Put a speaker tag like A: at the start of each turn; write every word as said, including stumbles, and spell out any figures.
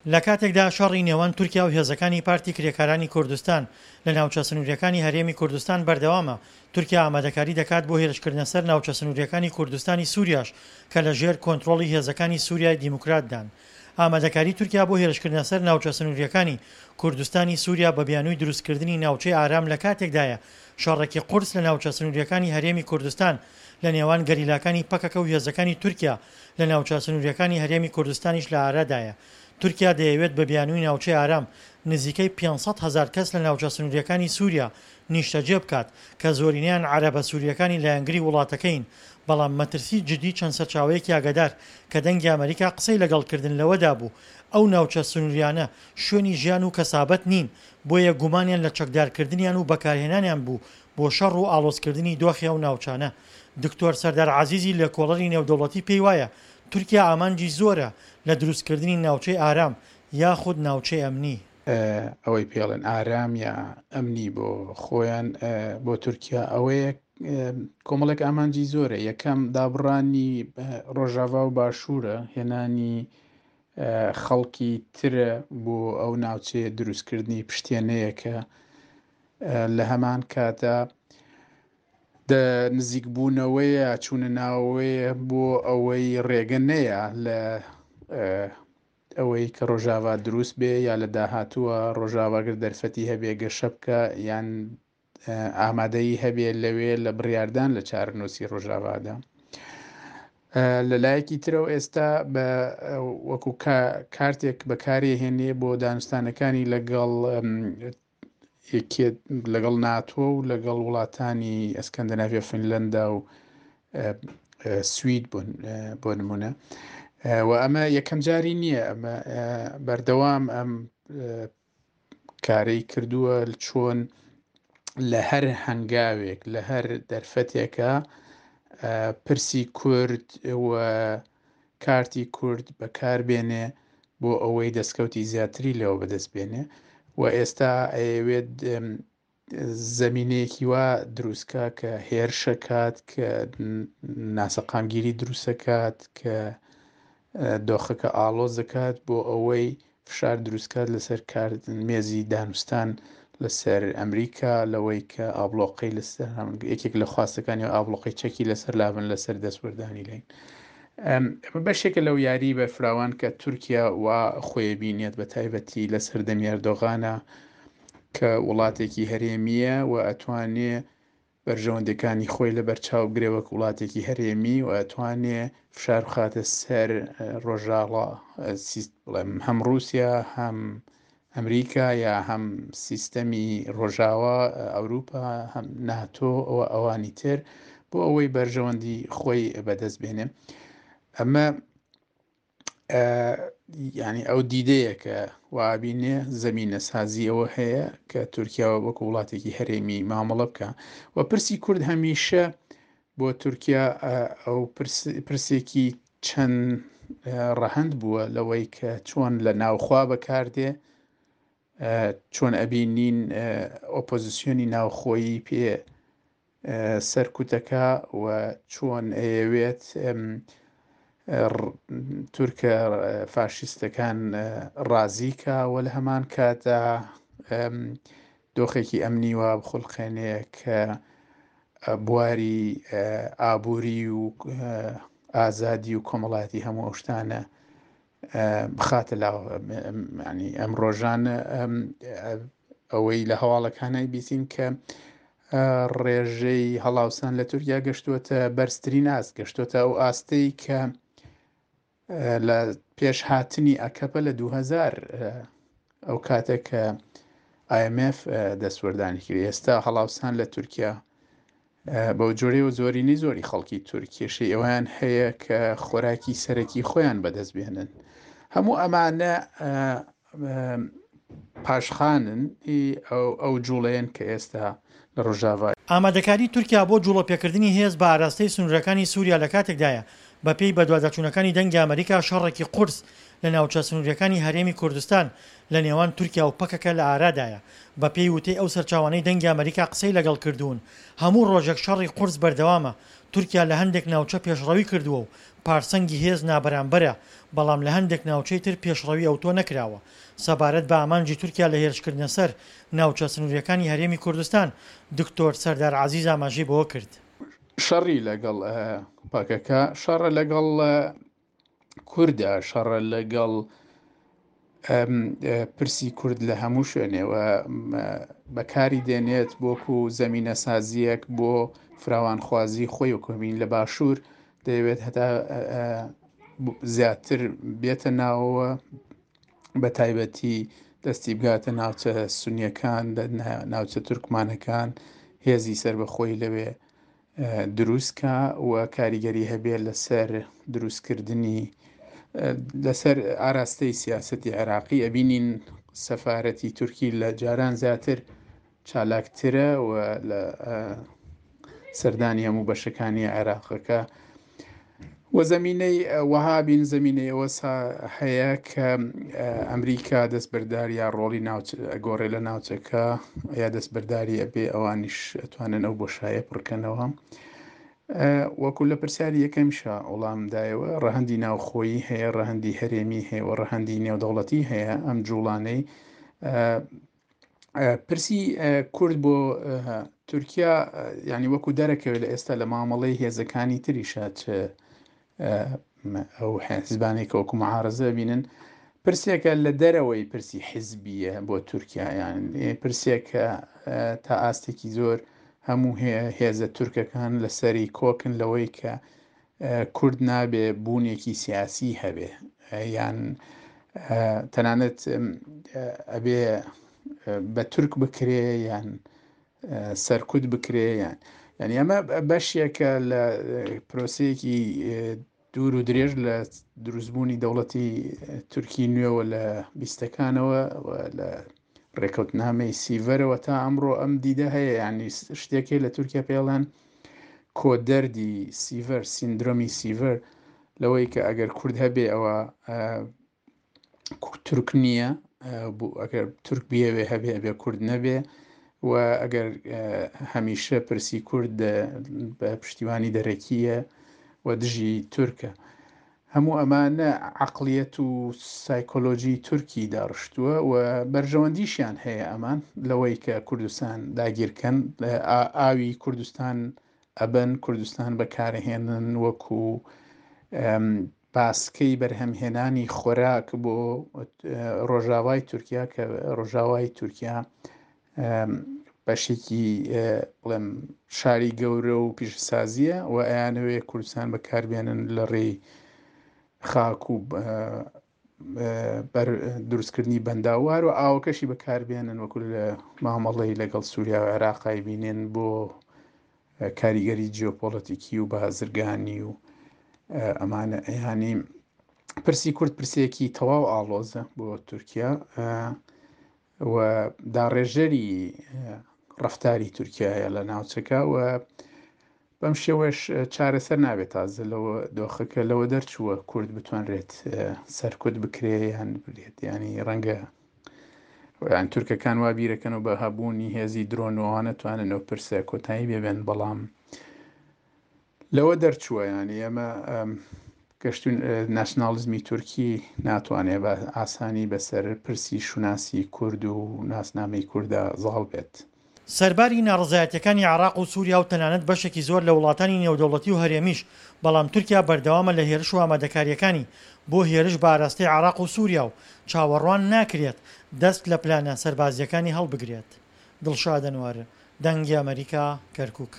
A: لە کاتێکدا شەڕی نێوان تورکیا و هێزەکانی پارتی کرێکارانی کوردستان لە ناوچە سنوورییەکانی هەرێمی کوردستان بەردەوامە، تورکیا ئامادەکاری دەکات بۆ هێرشکردنە سەر ناوچە سنوورییەکانی کوردستانی سووریاش کە لە ژێر کۆنترۆڵی هێزەکانی سووریای دیموکراتدان. ئامادەکاری تورکیا بۆ هێرشکردنە سەر ناوچە سنوورییەکانی کوردستانی سووریا بە بیانووی دروستکردنی ناوچەی ئارام لە کاتێکدایە شەڕێکی قورس لە ناوچە سنوورییەکانی هەرێمی کوردستان لە نێوان گەریلاکانی پەکەکە و هێزەکانی تورکیا لە ناوچە سنوورییەکانی هەرێمی کوردستانیش لە ئارادایە. تورکیا دەیەوێت بە بیانووی ناوچەی ئارام نزیکەی پێنج سەد هەزار کەس لە ناوچە سنوورییەکانی سووریا نیشتەجێ بکات کە زۆرینەیان عەرەبە سوورییەکانی لایەنگری وڵاتەکەین، بەڵام مەترسی جدی چەند سەرچاوەیەکی ئاگادار کە دەنگی ئەمەریکا قسەی لەگەڵ کردن لەوەدا بوو ئەو ناوچە سنووریانە شوێنی ژیان و کەسابەت نین بۆیە گومانیان لە چەکدارکردنیان و بەکارهێنانیان بوو بۆ شەڕ و ئاڵۆزکردنی دۆخی ئەو ناوچانە. دکتۆر سەردار عەزیزی لێکۆڵەری نێودەوڵەتی پێی وایە تورکیا ئامانجی زۆرە لە دروستکردنی ناوچەی ئارام یاخود ناوچەی ئەمنی.
B: ئەوەی پێڵێن ئارام یا ئەمنی بۆ خۆیان بۆ تورکیا ئەوەیە کۆمەڵێک ئامانجی زۆرە. یەکەم دابڕانی ڕۆژاوا و باشوورە، هێنانی خەڵکی ترە بۆ ئەو ناوچەیە، دروستکردنی پشتێنەیەکە، لە هەمان کاتا نزیک بوونەوەیە، چوونە ناوەیە بۆ ئەوەی ڕێگە نەیە لە ئەوەی کە ڕۆژاوا دروست بێ یا لە داهاتووە ڕۆژاواگر دەرفەتی هەبێ گەشە بکە یان ئامادەیی هەبێ لەوێ لە بڕیاردان لە چارەنووسی ڕۆژاوادا. لە لایەکی ترەوە ئێستا بە وەکو کارتێک بەکارێ هێنێ بۆ دانوستانەکانی لەگەڵ لەگەڵ ناتۆ و لەگەڵ وڵاتانی ئەسکەندەناڤیا، فینلەندا و سوید بۆ نمونە. و ئەمە یەکەم جاری نییە، ئەمە بەردەوام ئەم کارەی کردووە چۆن لە هەر هەنگاوێک لە هەر دەرفەتێکە پرسی کورد و کارتی کورد بەکاربێنێ بۆ ئەوەی دەستکەوتی زیاتری لەوە بەدەست بێنێ. و ئێستا ئەیەوێت زمینەیەکی وا دروستکە کە هێرشەکات، کە ناسەقامگیری دروستەکات، کە دۆخەکە ئاڵۆز دەکات بۆ ئەوەی فشار دروستکات لەسەر مێزی دانوستان لەسەر ئەمریکا، لەوەی کە ئابلۆقەی لەسەر یەکێک لە خواستەکانی و ئابلۆقەی چەکی لەسەر لابن لەسەر دەستوەردانی لین. ئەمە بەشێکە لەو یاری بەرفراوان کە تورکیا وا خۆی بینێت بە تایبەتی لەسەر دەمی ئەردۆغانە کە وڵاتێکی هەرێمیە و ئەتوانێ بەرژەوەندەکانی خۆی لەبەرچاو بگرێ وەک وڵاتێکی هەرێمی و ئەتوانێ فشار بخاتە سەر ڕۆژاوا بڵێم هەم رووسیا هەم ئەمریکا یا هەم سیستەمی ڕۆژاوا ئەوروپا هەم ناتۆ ئەوە ئەوانی تر بۆ ئەوەی بەرژەوەندی خۆی بەدەست بێنێ. ئەمە ینی ئەو دیدەیە کە وابینێ زمینە سازی ئەوە هەیە کە تورکیا وەکو وڵاتێکی هەرێمی مامەڵە بکە. و پرسی کورد هەمیشە بۆ تورکیا ئەو پرسێکی چەند ڕەهەند بووە لەوەی کە چۆن لە ناوخوا بەکاردێ، چۆن ئەبینین ئۆپۆزیسیۆنی ناوخۆیی پێ سەرکوتەکە و چۆن ئەیەوێت تورکە فاشیستەکان ڕازیکە و لە هەمان کاتدا دۆخێکی ئەمنی وا بخولقێنێ کە بواری ئابووری و ئازادی و کۆمەڵایەتی هەموو ئەو شتانە بخاتە لاوە. ینی ئەم ڕۆژانە ئەوەی لە هەواڵەکانای بیسین کە ڕێژەی هەڵاوسان لە تورکیا گەشتووەتە بەرزترین ئاست، گەشتووەتە ئەو ئاستەی کە لە پێشهاتنی ئەکەپە لە دوو هەزار ئەو کاتێک کە ئای ئێم ئێف دەستوەردانی کرد. ئێستا هەڵاوسان لە تورکیا بەو جۆرەی و زۆرینەی زۆری خەڵکی تورکیشی ئەویان هەیە کە خۆراکی سەرەکی خۆیان بەدەست بێنن. هەموو ئەمانە پاشخانن ئەو جوڵەیەن کە ئێستا لە ڕۆژاوا.
A: ئامادەکاری تورکیا بۆ جوڵە پێکردنی هێز بە ئاراستەی سنوورەکانی سووریا لە کاتێکدایە بەپێی بەدواداچوونەکانی دەنگی ئەمریکا شەڕێکی قورس لە ناوچە سنووریەکانی هەرێمی کوردستان لە نێوان تورکیا و پەکەکە لە ئارادایە. بەپێی وتەی ئەو سەرچاوانەی دەنگی ئەمریکا قسەی لەگەڵ کردوون هەموو ڕۆژێک شەڕی قورس بەردەوامە. تورکیا لە هەندێک ناوچە پێشڕەوی کردووە و پارسەنگی هێز نابەرامبەرە، بەڵام لە هەندێک ناوچەی تر پێشڕەوی ئەوتۆ نەکراوە. سەبارەت بە ئامانجی تورکیا لە هێرشکردنە سەر ناوچە سنوورییەکانی هەرێمی کوردستان، دکتۆر سەردار عەزیز ئاماژەی بەوە کرد.
B: شەڕی لەگەڵ پەکەکە، شەڕە لەگەڵ کوردە، شەڕە لەگەڵ پرسی کورد لە هەموو شوێنێ و بەکاری دێنێت بۆکو زەمینەسازیەک بۆ فراوانخوازی خۆی و کۆمین لە باشوور دەیەوێت هەتا زیاتر بێتە ناوەوە، بە تایبەتی دەستی بگاتە ناوچە سونیەکان، ناوچە تورکمانەکان، هێزی سەربەخۆی لەوێ دروستکە و کاریگەری هەبێت لەسەر دروستکردنی لەسەر ئاراستەی سیاسەتی عێراقی. ئەبینین سەفارەتی تورکی لە جاران زیاتر چالاکترە و لە سەردانی هەموو بەشەکانی عێراقەکە و زمینەی وەها بین زمینەی ئەوە هەیە کە ئەمریکا دەستبەردار یا ڕۆڵی گۆڕێ لە ناوچەکە یا دەستبەرداری ئەبێ، ئەوانیش ئەتوانن ئەو بۆشایە پڕکەنەوە. وەکو لە پرسیاری یەکەمیشا وەڵامدایەوە، ڕەهەندی ناوخۆیی هەیە، ڕەهەندی هەرێمی هەیە و ڕەهەندی نێودەوڵەتی هەیە. ئەم جوڵانەی پرسی کورد بۆ تورکیا یعنی وەکو دەرەکەوێت لە ئێستا لە مامەڵەی هێزەکانی تریشا چ ئەو حزبانێک وەکو معارزە بینن، پرسێکە لە دەرەوەی پرسی حزبیە بۆ تورکیا، یان پرسێکە تا ئاستێکی زۆر هەموو هێزە تورکەکان لەسەری کۆکن لەوەی کە کورد نابێ بوونێکی سیاسی هەبێ، یان تەنانەت ئەبێ بە تورک بکرێ یان سەرکوت بکرێ. یان یعنی ئەمە بەشێکە لە پرۆسەیەکی دوور و درێژ لە دروستبوونی دەوڵەتی تورکی نوێوە لە بیستەکانەوە و لە ڕێکەوتنامەی سیڤەرەوە تا ئەمڕۆ ئەم دیدە هەیە. یعنی شتێکی لە تورکیا پێڵەن کۆدەردی سیڤەر، سیندرۆمی سیڤەر، لەوەی کە ئەگەر کورد هەبێ ئەوە تورک نییە، ئەگەر تورک بیەوێ هەبێ ئەبێ کورد نەبێ، و ئەگەر هەمیشە پرسی کورد بە پشتیوانی دەرەکیە و دژی تورکە. هەموو ئەمانە عەقڵیەت و سایکۆلۆژی تورکی داڕشتووە و بەرژەوەندیشیان هەیە ئەمان لەوەی کە کوردستان داگیرکەن، ئاوی کوردستان ئەبەن، کوردستان بەکارهێنن وەکو باسکەی بەرهەمهێنانی خۆراک بۆ ڕۆژاوای تورکیا، کە ڕۆژاوای تورکیا بەشێکی بڵێم شاری گەورە و پیشەسازیە و ئەیانەوێ کوردستان بەکاربێنن لە ڕێی خاک و دروستکردنی بەنداوار و ئاوەکەشی بەکاربێنن وەکو لە مامەڵەی لەگەڵ سووریا و عێراقای بینێن بۆ کاریگەری جیۆپۆلەتیکی و بازرگانی و ئەمانە. ینی پرسی کورد پرسێکی تەواو ئاڵۆزە بۆ تورکیا و داڕێژەری ڕەفتاری تورکیایە لە ناوچەکە و بەم شێوەش چارەسەر نابێت. تازە لەوە دۆخەکە لەوە دەرچووە کورد بتوانرێت سەرکوت بکرێ یان برێت. ینی ڕەنگە یان تورکەکان وا بیرەکەن و بە هەبوونی هێزی درۆنەوانە توانن ئەو پرسە کۆتایی بێبێن، بەڵام لەوە دەرچووە. ینی ئێمە گەشتون ناسیۆنالیزمی تورکی ناتوانێت بە ئاسانی بەسەر پرسی شوناسی کورد و ناسنامەی کووردا زاڵ بێت.
A: سەرباری ناڕەزایەتیەکانی عێراق و سووریا و تەنانەت بەشێکی زۆر لە وڵاتانی نێودەوڵەتی و هەرێمیش، بەڵام تورکیا بەردەوامە لە هێرش و ئامادەکاریەکانی بۆ هێرش بە ئاراستەی عێراق و سووریا و چاوەڕوان ناکرێت دەست لە پلانە سەربازیەکانی هەڵبگرێت. دڵشاد ئەنوەر، دەنگی ئەمەریکا، کەرکوک.